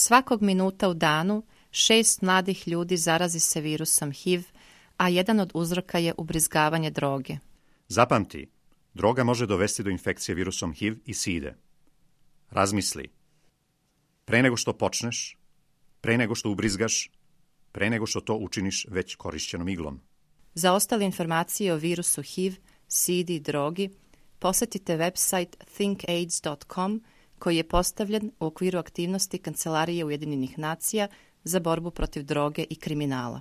Svakog minuta u danu 6 mladih ljudi zarazi se virusom HIV, a jedan od uzroka je ubrizgavanje droge. Zapamti, droga može dovesti do infekcije virusom HIV i side. Razmisli. Pre nego što počneš, pre nego što ubrizgaš, pre nego što to učiniš već korišćenom iglom. Za ostale informacije o virusu HIV, sidi i drogi, posjetite website thinkaids.com koji je postavljen u okviru aktivnosti Kancelarije Ujedinjenih nacija za borbu protiv droge i kriminala.